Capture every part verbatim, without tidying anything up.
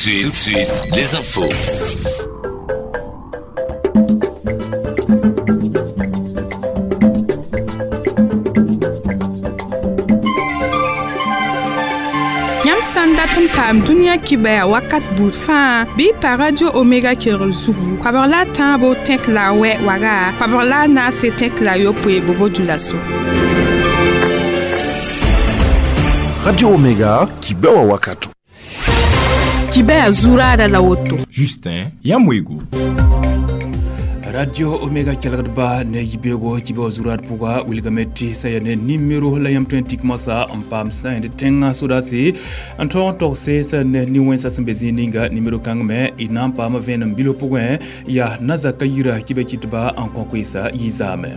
suite, tout de suite, les infos. Yãmb sã n dat n paam dũniyã kibɛa wakat buud fãa bɩ y pa Radio Omega kelgr zugu koabg la a tãabo tẽk la a wɛ waga koabg la a naase tẽk la a yopoe bobo dulaso. Radio Omega kibɛwa wakato. Kibɛa zuraada la woto. Justin Yamwego. Radio Omega kelgdba ne yibego kibe zurat puga wilgame ti sayane numéro la yam twenty masa n paam sã yẽnd tẽngã sodaase n tõog n togse sã ne nin-wẽnsã sẽn be zĩig ninga numéro kãng me y na n paama vẽenem bilo pʋgẽ yaa na-zaka yira kibã kɩtba n kõ koeesa yizaame.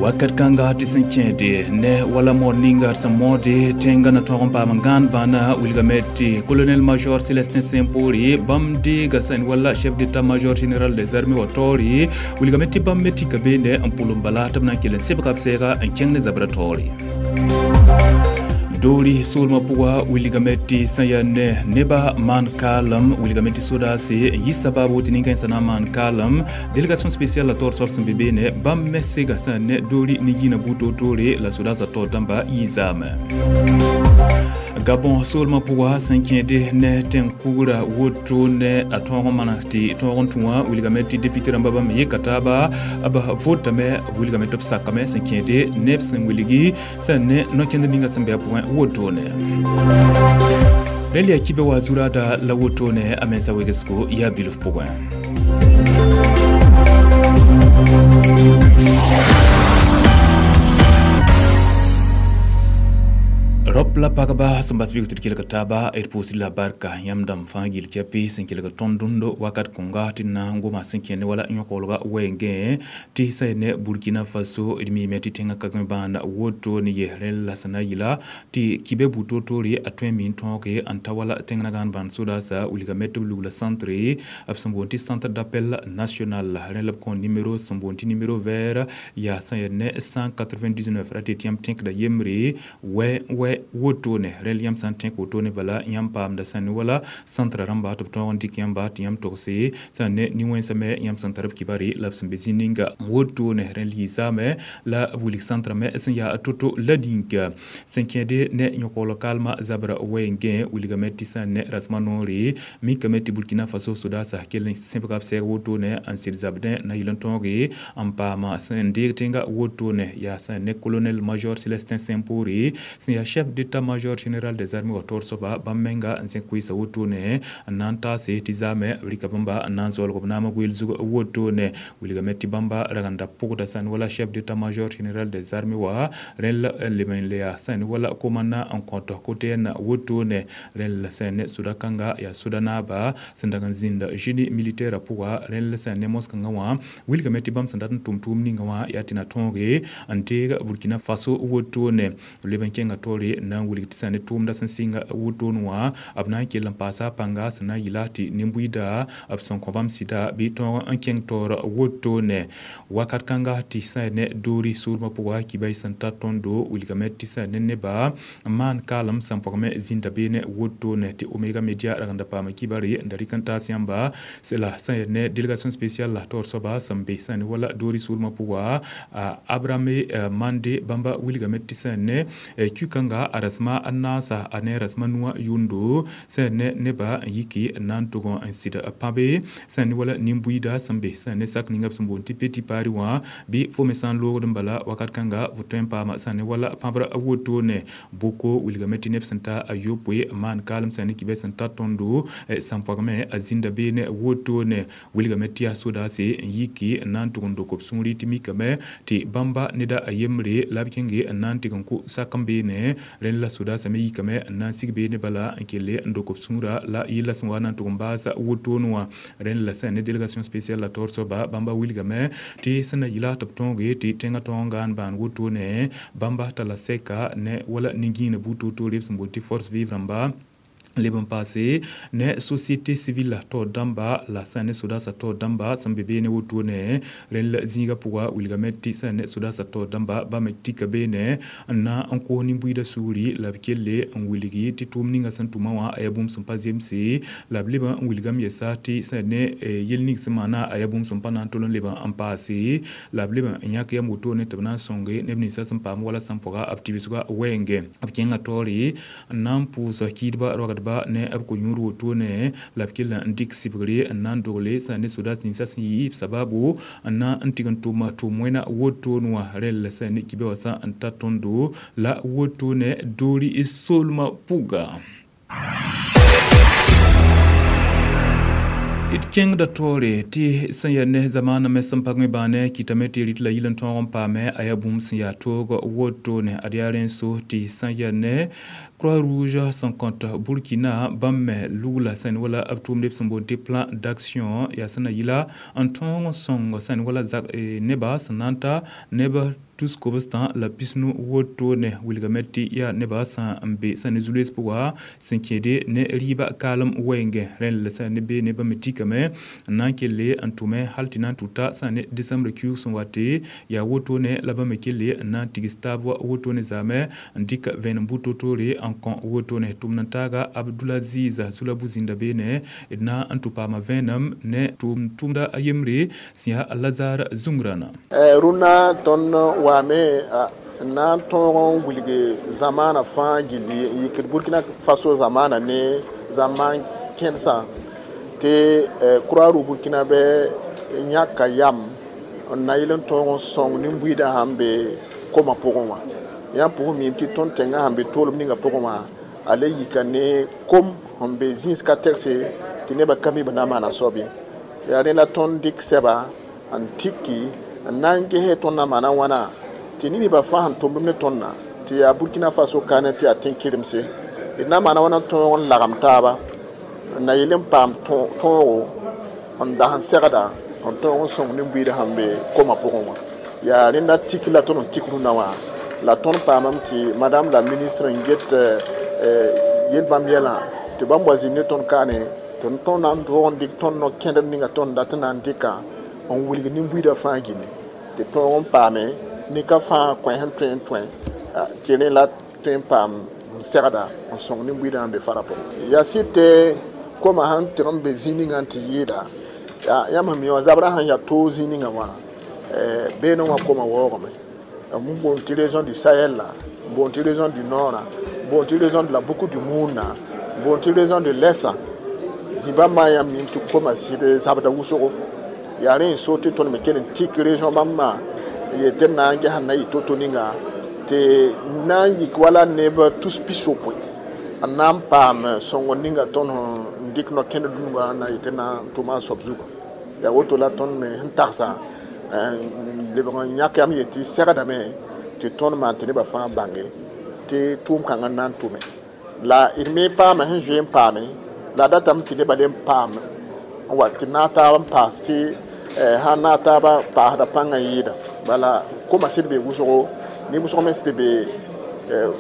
Wakat kãnga tɩ sẽn kẽede ne wala moor ninga d sẽn moode tẽngã na tõog n paam n gãan bãna wilgame tɩ colonel major Célestin Simpore bãmb deega sẽn wala chef d'état-major général des armées wa taoore wilgame tɩ bãmb me tika beene n pʋlem bala tɩ b na n kell n sebga b sɛɛga n kẽng ne zabra taoore. Doori soolmã pʋga wilgame tɩ sẽn yaa ne nebã maan kaalem wilgame tɩ sodaase n yi sabaabo tɩ nin-kãensã na n maan kaalem délégation spéciale la taoor soab sẽn be beene bãmb me sega sẽn ne doori nin-yĩnã buud toor-toore la sodaasã taoor dãmba yizaame. Gabon soolmã pʋga sẽn kẽede ne tẽn-kugrã woto ne a tõog n maneg tɩ tõog n tũ wã wilgame tɩ député rãmbã bãmb yeka taaba b votame wilgame tɩ b sakame sẽn kẽede neb sẽn wilgi sẽn ne no-kẽnd ninga sẽn be a pʋgẽ woto ne. Rẽnd yaa kibe wa zuraada la woto ne a mensa wegesgo yaa bilf pʋgẽ. Rop la pagba sẽn bas vɩg tɩ d kelg taaba d pʋʋsd la barka yãmb dãmb fãa gill kɛpɩ sẽn kelg tõnd dũndo wakat kõnga tɩ d na n goma sẽn kẽne wala yõk-wolga wɛɛngẽ tɩ sã ne Burkina Faso d miime tɩ tẽngã ka bãan woto ne yes rẽnd la sẽn na yɩla tɩ kibɛ buud toor-toore a tõe n mi n tõoge n ta wala tẽng na gãan bãan sodaasa wilgame tɩ b lugla centre b sẽn boond tɩ centre d'appel national rẽnd la b kõ numéro sẽn boond tɩ numéro vert yaa sã yaa ne cent quatre-vingt-dix-neuf ra tɩ yãmb tẽkda yembre wɛ wɛ woto ne rẽnd yãmb sã n tẽk woto ne bala yãmb paamda sã ne wala centre rãmba tɩ b tõog n dɩk yãmba tɩ yãmb togse sã ne nin-wẽnsã me yãmb sẽn tar b kibare la b sẽn be zĩig ninga woto ne rẽnd yiisaame la b wilg centrã me sẽn yaa to-to la dĩnka sẽn kẽede ne yõk-waoolg kaalmã zabra wɛɛngẽ wilgame tɩ sã ne rasmã noore mikame tɩ Burkina Faso sodaasã kell n sẽbga b sɛɛg woto ne n sɩd zabdẽ na yɩl n tõoge n paama sẽn deeg tẽnga woto ne yaa sã ne colonel major Célestin Simpore sẽn yaa chef d'état-major général des armées wa taoor soaba bãmb menga n zẽk koeesa woto ne n na n taase tɩ zaame b rɩka bãmba n na n zaoolg b naamã goeel zug woto ne wilgame tɩ bãmba ragenda pʋgda sã n wala chef d'état-major général des armées wa rẽnd la leb n le yaa sã n wala komandã n kõt kote na woto ne rẽnd la sã ne soda-kãnga yaa soda naaba sẽn dag n zĩnda génie militaire pʋga rẽnd la sã ne mos-kãngã wã wilgame tɩ bãmb sẽn dat n tʋm tʋʋm ninga wã yaa tɩ na tõoge n deeg Burkina Faso woto ne b leb n kẽnga taoore na n wilg tɩ sã ne tʋʋmda sẽn sɩnga wotone wã b na n kell n paasa a pãnga sẽn na n yɩla tɩ nin-buiida b sẽn kõ bãmb sɩda bɩ tõog n kẽng taoor wotone wakat kãnga tɩ sã ne doori soolmã pʋga kibã y sẽn ta tõndo wilgame tɩ sã ne nebã n maan kaalem sẽn pɔgme zĩnda beene wotone tɩ Omega Media ragenda paama kibare n da rɩk n taas yãmba la sã yaa ne délégation spéciale la taoor soaba sẽn be sã ne wala doori soolmã pʋga Abrame Mande bãmba wilgame tɩ sã ne kũ-kãnga a rasma a naasa a ne rasma nuwã yʋndo sã ne nebã n yiki n na n tʋg n sɩd pãbe sã ne wala nin-buiida sẽn be sã ne sak ninga b sẽn boond tɩ petit pari wã bɩ fo me sã n loogd n bala wakat kãnga fo tõe n paama sã ne wala pãbra wotone boko wilgame tɩ neb sẽn ta a yopoe n maan kaalem sã ne kibɛ sẽn ta tõndo sẽn pɔgme a zĩnda beene wotone wilgame tɩ yaa sodaase n yiki n na n tʋg n dok b sũuri tɩ mikame tɩ bãmba neda a yembre la b kẽnge n na n tɩg n kʋ sak n beene rẽnd la sodaasã me yikame n na n sig beene bala n kelle n dok b sũurã la yella sẽn wa na n tʋg n baasa wotone wã rẽnd la sã ne délégation spéciale la taoor soaba bãmba wilgame tɩ sẽn na yɩla tɩ b tõoge tɩ tẽngã tõog n gãan bãan wotone bãmba tala sɛka ne wala nin-gĩinã buud toor-toore b sẽn boond tɩ force vive rãmba Leb n paase ne société civile tao dãmba la sã ne sodaasã tao dãmba sẽn be beene wotone rẽnd la zĩigã pʋga wilgame tɩ sã ne sodaasã tao dãmba bãmb me tika beene n na n kos nin-buiidã sugri la b kelle n wilgi tɩ tʋʋm ninga sẽn tʋma wã a yaa bũmb sẽn pa zemse la b leb n wilgame yɛsa tɩ sã ne yel ning sẽn maana a yaa bũmb sẽn pa na n tol n leb n paase la b leb n yãk yam wotone tɩ b na n sõnge neb ninsã sẽn paam wala sẽn pʋga b tɩbsgã wɛɛngẽ b kẽngã taoore n na n pʋʋs kiidbã rogdba ne b ko-yũud wotone la b kell n dɩk sɩbgre n na n dogle sã ne sodaas ninsã sẽn yɩ b sababu n na n tɩg n tʋm tʋʋm wẽna wotone wã rẽl sã ne kibe wã sã n ta tõndo la wotone doori soolmã pʋga. D kẽngda taoore tɩ sẽn yaa ne zamaanã me sẽn pag me bãane kɩtame tɩ rɩt la yil n tõog n paame a yaa bũmb sẽn yaa toog wotone ad yaa rẽn so tɩ sẽn yaa ne Croix-Rouge sẽn kõt Burkina bãmb me lugla sẽn wala b tʋʋmd b sẽn boond tɩ plan d'action yaa sẽn na yɩla n tõog n sõng sẽn wala neba sẽn na n ta neb tus kobstã la pisnu wotone wilgame tɩ yaa nebã sã n be sã ne zu-loees pʋga sẽn kẽede ne rɩɩbã kaalem wɛɛngẽ rẽnd la sã ne beene bãmb me tikame n na n kelle n tʋme hal tɩ na n tʋta sã ne décembre kiuug sẽn wate yaa wotone la bãmb me kelle n na n tigs taab wotone zaame n dɩk vẽenem bu-toor-toore n kõ wotone tʋmd n taaga Abdulaziz Zulabu zĩnda beene d na n tʋ paama vẽenem ne tʋʋm tʋmda a yembre sẽn yaa Lazare Zungrana. Rũnnã tõnd wame na n tõog n wilg zamaana fãa gilli n yikd Burkina Faso zamaana ne zaman kẽedsã tɩ Croix-Rouge Burkinabɛ yãka yam n na yɩl n tõog n sõng nin-buiidã sãn be koma pʋgẽ wã yãmb pʋgẽ miime tɩ tõnd tẽngã sãn be toolem ninga pʋgẽ wã a le yika ne kom sẽn be zĩis ka tɛgse tɩ nebã ka mi b na n maana soab ye yaa rẽ la tõnd dɩk sɛba n tiki n na n ges tõnd na maana wãna tɩ neb fãa sẽn tʋmd ne tõndã tɩ yaa Burkina Faso kaane tɩ yaa tẽn-kɩremse d na maana wãna tõog n lagem taaba n na yɩl n paam tõogo n das n segda n tõog n sõng nin-buiidã sẽn be koma pʋgẽ wã yaa rẽnda tik la tõnd n tik rũnnã wã la tõnd paamame tɩ madame la ministre n get yel bãmb yɛlã tɩ bãmb wa zĩnd ne tõnd kaane tɩ tõnd na n tõog n dɩk tõnd no-kẽndr ninga tõnd dat n na n dɩka n wilg nin-buiidã fãa gilli tɩ tõog n paame nin-ka fãa kõ sẽn tõe n tõe tɩ rẽ la tõe n paam n segda n sõng nin-buiidã sẽn be fara pʋgẽ yaa sɩd tɩ koma sãn tɩg n be zĩig ninga n tɩ yɩɩda yãmb sẽn mi wã zabrã sãn yaa toog zĩig ninga wã beene wã koma waoogame n boond tɩ région du Sahel la n boond tɩ région du Nord n boond tɩ région de la Boucle du Mouhoun n boond tɩ région de l'Est zĩ-bãmbã yãmb mim tɩ koma sɩd zabda wʋsgo yaa rẽ n so tɩ tõnd me kell n tik région bãmbã n yet tɩ d na n ges n na yɩ to-to ninga tɩ na n yik wala neb tus pis-yopoe n na n paam sõngr ninga tõnd n dɩk no-kẽnd dũnga n na yet tɩ na n tʋma a soab zuga yaa woto la tõnd me sẽn tagsa n lebg n yãk yam yetɩ segdame tɩ tõnd maan tɩ nebã fãa bãnge tɩ tʋʋm kãngã n na n tʋme la d me paama sẽn zoe n paame la datame tɩ nebã le n paam n wa tɩ naag taab n paas tɩ sã n naag taabã paasda pãngã yɩɩda bala koma sɩd be wʋsgo ne wʋsg me sɩd be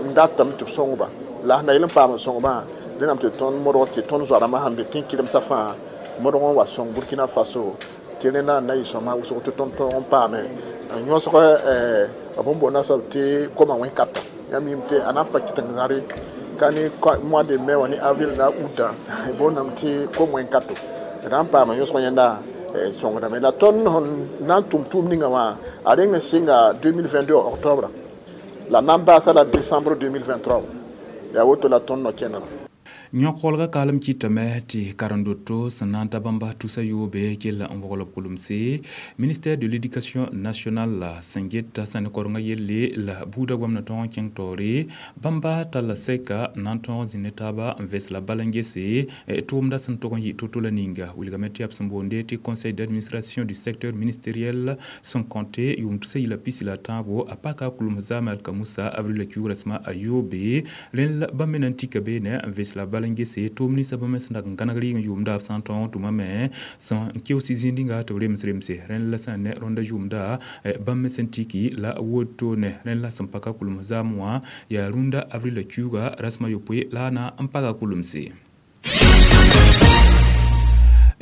n datame tɩ b sõngba la sẽn na yɩl n paam n sõngbã rẽndame tɩ tõnd modg tɩ tõnd zoa-rãmbã sãn be tẽn-kɩremsã fãa modg n wa sõng Burkina Faso tɩ rẽnda n na yɩ sõma wʋsg tɩ tõnd tõog n paame n yõsg b n boonda soab tɩ koma wẽn-kata yãmb mim tɩ a na n pa kɩt n zãre ka ne mois de mai wã ne avril la août boondame tɩ kom wẽn-kato d na n paama yõsg yẽnda sõngdame la tõnd sẽn na n tʋm tʋʋm ninga wã a reng n sɩnga deux mille vingt-deux octobre la na n baasa la décembre deux mille vingt-trois yaa woto la tõnd no-kẽndrã. Yõk-kolga kaalem kɩtame tɩ karen-doto sẽn na n ta bãmba tusa yoobe kell n vogl b kolmse ministère de l'éducation nationale la sẽn geta sã ne korengã yelle la buudã goamna tõog n kẽng taoore bãmba talla sɛka n na n tõog n zĩnd ne taaba n vɛs la bal n gese tʋʋmda sẽn tog n yɩ to-to la ninga wilgame tɩ yaa b sẽn boonde tɩ conseil d'administration du secteur ministériel sẽn kõte yʋʋm tusa yɩla pisi la tãabo a paka kulms zaame alka musa avril la kiuug rasmã a yoobe rẽnd la bãmb me na n tika beene n vɛs la bal bala n gese tʋʋm ninsã bãmb me sẽn dag n gãneg rɩɩg n yʋʋmda b sã n tõog n tʋmame sẽn keoos zĩig tɩ b rems remse rẽnd la sã ne rõnda yʋʋmda bãmb me sẽn tiki la wotone rẽnd la sẽn pa ka kulms zaam wã yaa rũndã avril kiuuga rasem a yopoe la a na n paga kulmse.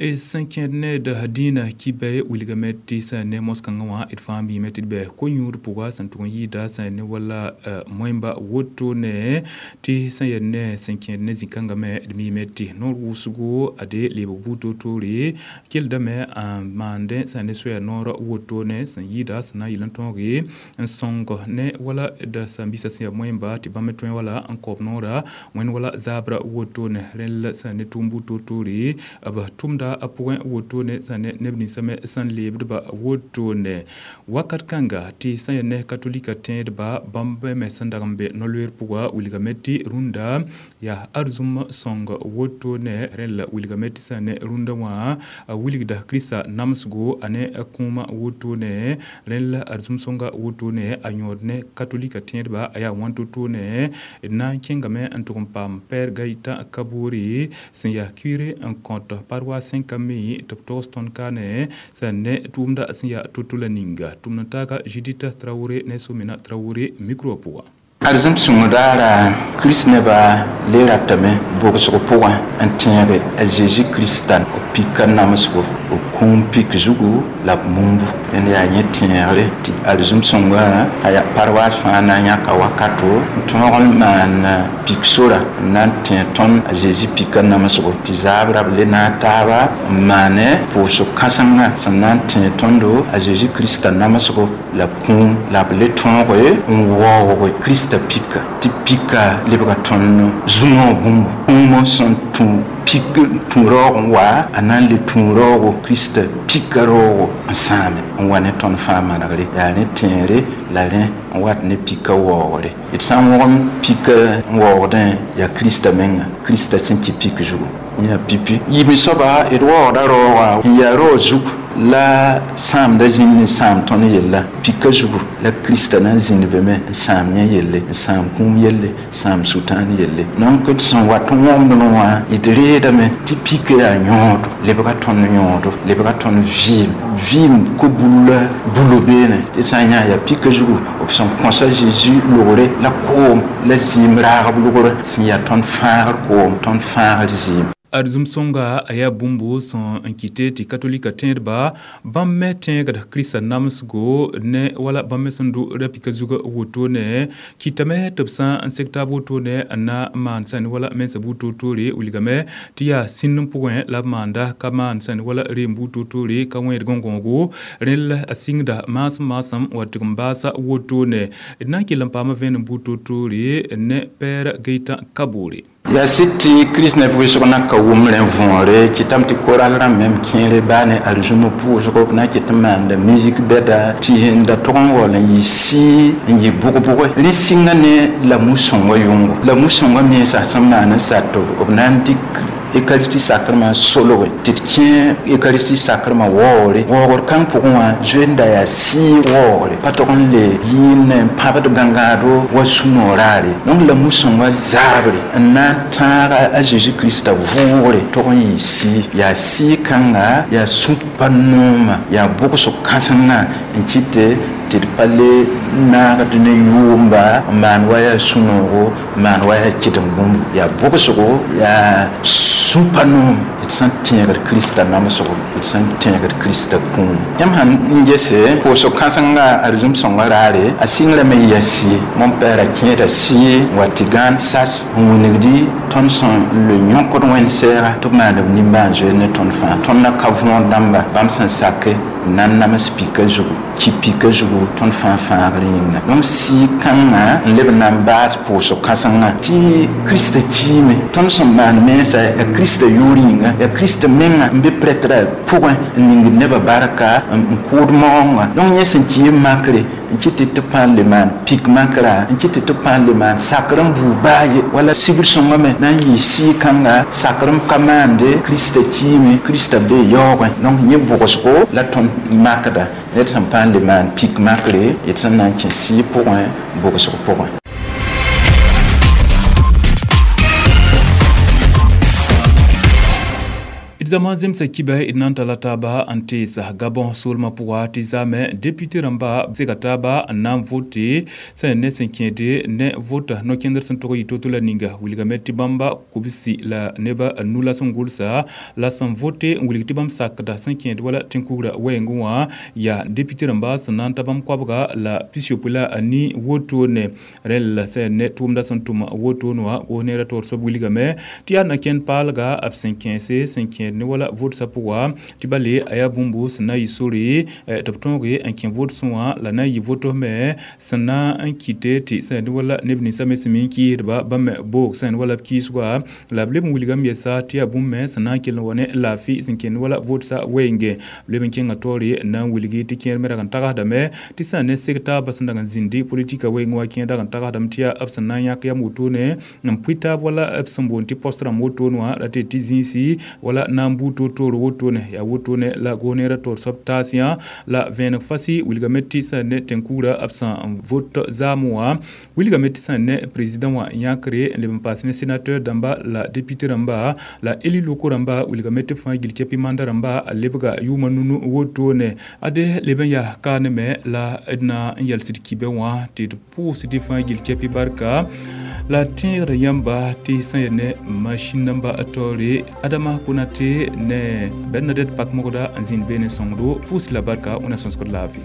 Sẽn kẽed ned dĩinã kibɛ wilgame tɩ sã ne mos-kãngã wã d fãa miime tɩ d bɛ ko-yũud pʋga sẽn tʋg n yɩɩda sã ne wala moẽmba wotone tɩ sẽn yaa ne sẽn kẽed ne zĩ-kãngã me d miime tɩ noor wʋsgo ade leebg buud toor-toore keldame n maandẽ sã ne soaya noor wotone sẽn yɩɩda sẽn na n yɩl n tõoge n sõng ne wala d sãn-biisã sẽn yaa moẽmba tɩ bãmb me tõe wala n kaoob noora wẽnd wala zaabra wotone rẽnd la sã ne tʋʋm buud toor-toore b tʋmda a pʋgẽ wotone sã ne neb ninsã me sẽn leebdba wotone wakat kãnga tɩ sã yaa ne katolika tẽedba bãmb me sẽn dag n be no-loeer pʋga wilgame tɩ rũndã yaa arzũm sõng wotone rẽnd la wilgame tɩ sã ne rũndã wã a wilgda Kirista namsgo a ne kũumã wotone rẽnd la arzũm sõnga wotone a yõod ne katolika tẽedba a yaa wãn to-tone d na n kẽngame n tʋg n paam Pɛɛr Gaɩtã Kaboore sẽn yaa kuire n kõt paroisse Saint-Camille tɩ b togs tõnd kaane sã ne tʋʋmda sẽn yaa to-to la ninga tʋmd n taaga Judith Traoré ne Somena Traoré micro pʋga. Arzũm sõng daara Kirist nebã le ratame bogsg pʋgẽ n tẽege a Zeezi Krista b pika namsgo b kũum pik zugu la b mumbu dẽnd yaa yẽ tẽegre tɩ arzũm sõngã a yaa paroisse fãa na n yãka wakato n tõog n maan pik sora n na n tẽ tõnd a Zeezi pika namsgo tɩ zaabrã b le naag taaba n maane pʋʋsg kãsengã sẽn na n tẽ tõndo a Zeezi Krista namsgo la kũum la b le tõoge n waoog Krista pika tɩ pika lebga tõnd zũnõ bũmb kũumã sẽn tũ pik tũ raoog n wa a na n le tũ raoogo Krista pika raoogo n sãame n wa ne tõnd fãa manegre yaa rẽ tẽere la rẽ n wat ne pika waoogre d sã n wõgem pika n waoogdẽ yaa Krista menga Krista sẽn kɩ pik zugu yaa pipi yiime soaba d waoogda raoogã n yaa raoog zug la sãamda zĩnd n sãam tõnd yella pika zugu la Krista na n zĩnd be me n sãam yẽ yelle n sãam kũum yelle sãam sʋtãan yelle donc d sẽn wat n wõmd wã d reedame tɩ pika yaa yõodo lebga tõnd yõodo lebga tõnd vɩɩm vɩɩm ko-bulla bulo beene tɩ sã n yã yaa pika zugu b sẽn kõsa Zeezi logre la koom la zĩim raagb logr sẽn yaa tõnd fãagr koom tõnd fãagr zĩim. Arzũm sõnga a yaa bũmbo sẽn n kɩte tɩ katolika tẽedba bãmb me tẽegd Kirista namsgo ne wala bãmb me sẽn dʋ ra-pika zugã wotone kɩtame tɩ b sã n sek taab wotone n na n maan sãn wala mensã buud toor-toore wilgame tɩ yaa sĩnd n pʋgẽ la b maanda ka maan sãn wala reem buud toor-toore ka wẽed gõn-gõogo rẽnd la a sɩngda maasem maasem wa tɩg n baasa wotone d na n kell n paama vẽenem buud toor-toore ne Pɛɛr Gaɩtã Kaboore. Yaa sɩd tɩ Kirist neb wɩsg na ka wʋm rẽ võore kɩtame tɩ koral rãmb mem kẽere baa ne arzũm pʋʋsgo b na n kɩt n maanda musique bɛda tɩ n da tʋg n waool n yɩ sɩɩ n yɩ bʋg-bʋge rẽ sɩnga ne la mu-sõngã yʋngo la mu-sõngã mensã sẽn maan n sat b na n dɩk Eucharistie sacrement solge tɩ d kẽ Eucharistie sacrement waoogre waoogr kãng pʋgẽ wã zoe n da yaa sɩɩ waoogre pa tog n le yɩɩn n pãbd gãngaado wa sũ-noog raare donc la mu-sõngã zaabre n na n tãaga a Zeezi Krista vʋʋgre tog n yɩ sɩɩ yaa sɩɩ kãnga yaa sũ-pa noomã yaa bʋgsg kãsengã n kɩte tɩ d pa le naagd ne yʋʋmba n maan wa yaa sũ-noogo n maan wa yaa kɩdem bũmb yaa bʋgsgo yaa sũ-pa noom d sẽn tẽegd Krista namsgo d sẽn tẽegd Krista kũum yãmb sãn n gese pʋʋsg kãsenga arzũm sõnga raare a sɩngrame n yaa sɩɩ mon-pɛɛra kẽeda sɩɩ n wa tɩ gãan sas n wilgdi tõnd sẽn le yõkd wẽnd sɛɛga tɩ b maan b nimbãan-zoeer ne tõnd fãa tõnd na ka võor dãmba bãmb sẽn sake n na n nams pika zugu ki pika zugu tõnd fãa fãagr yĩnga donc sɩɩ kãngã n leb n na n baas pʋʋsg kãsengã tɩ Krista kiime tõnd sẽn maan mensa yaa Krista yʋʋr yĩnga yaa Krista menga n be prɛtrã pʋgẽ n ningd nebã barka n kʋʋd maoongã donc yẽ sẽn kɩ makre n kɩt tɩ tɩ pãan le maan pik makra n kɩt tɩ tɩ pãan le maan sakr n buu baa ye wala sibr sõngã me na n yɩ sɩɩ kãnga sakr n ka maande Krista kiime Krista be yaoogẽ donc yẽ bʋgsgo la tõnd makda ned sẽn pãan le maan pik makre d sẽn na n kẽ sɩɩ pʋgẽ bʋgsg pʋgẽ. Zãma zemsa kiba d na n tala taaba n teesa Gabon soolmã pʋga tɩ zaame député rãmba sega taaba n na n vote sẽn ne sẽn kẽede ne vota no-kẽndr sẽn tog yɩ to-to la ninga wilgame tɩ bãmba kubsi la neba nu la sẽn gʋlsa la sẽn vote n wilg tɩ bãmb sakda sẽn kẽed wala tẽn-kugrã wɛɛngẽ wã yaa député rãmba sẽn na n ta bãmb koabga la pis-yopoe la a ni wotone rẽl sẽn ne tʋʋmda sẽn tʋm wotone wã goos neerã toor soab wilgame tɩ yaa na-kẽnd paalga b sẽn kẽese sẽn kẽed ne wala votsa pʋga tɩ bale a yaa bũmb sẽn na n yɩ sore tɩ b tõoge n kẽ votsẽ wã la na n yɩ votos me sẽn na n kɩte tɩ sẽn wala neb ninsã me sẽn mi n kɩɩsdba bãmb me boog sẽn wala b kɩɩsga la b leb n wilgame yɛsa tɩ yaa bũmb me sẽn na n kell n wa ne laafɩ sẽn kẽnd wala votsa wɛɛnge b leb n kẽnga taoore n na n wilgi tɩ kẽer me rag n tagsdame tɩ sã ne seg taabã sẽn dag n zĩndi politika wɛɛngẽ wã kẽer dag n tagsdame tɩ yaa b sẽn na n yãk yam wotone n pʋɩ taab wala b sẽn boond tɩ post rãmb wotone wã ra tɩ tɩ zĩisi wala na n buu toor-toor wotone yaa wotone la goos-neerã toor soab taasã la vẽeneg fasi wilgame tɩ sẽn ne tẽn-kugrã b sẽn vot zaam wã wilgame tɩ sẽn ne président wã yãkre n leb n paas ne sénateur dãmba la député rãmba la élu locaux rãmba wilgame tɩ b fãa gil kepi manda rãmba a lebga yʋʋmã nunu wotone ade leb n yaa kaane me la d na n yɛlsd kibɛ wã tɩ d pʋʋsd fãa gil kepi barka la tẽegda yãmba tɩ sẽn yaa ne machine namba taoore Adama Konate ne Bernadette Pakmogda n zĩnd beene sõngdo pʋʋs la barka wẽna sõsgd laafɩ.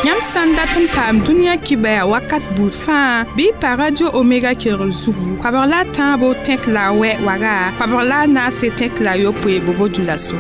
Yãmb sã n dat n paam dũniyã kibaya wakat buud fãa bɩ pa Radio Omega kelgr zugu koabg la a tãabo tẽk la a wɛ waga koabg la a naase tẽk la a yopoe bobo dulaso.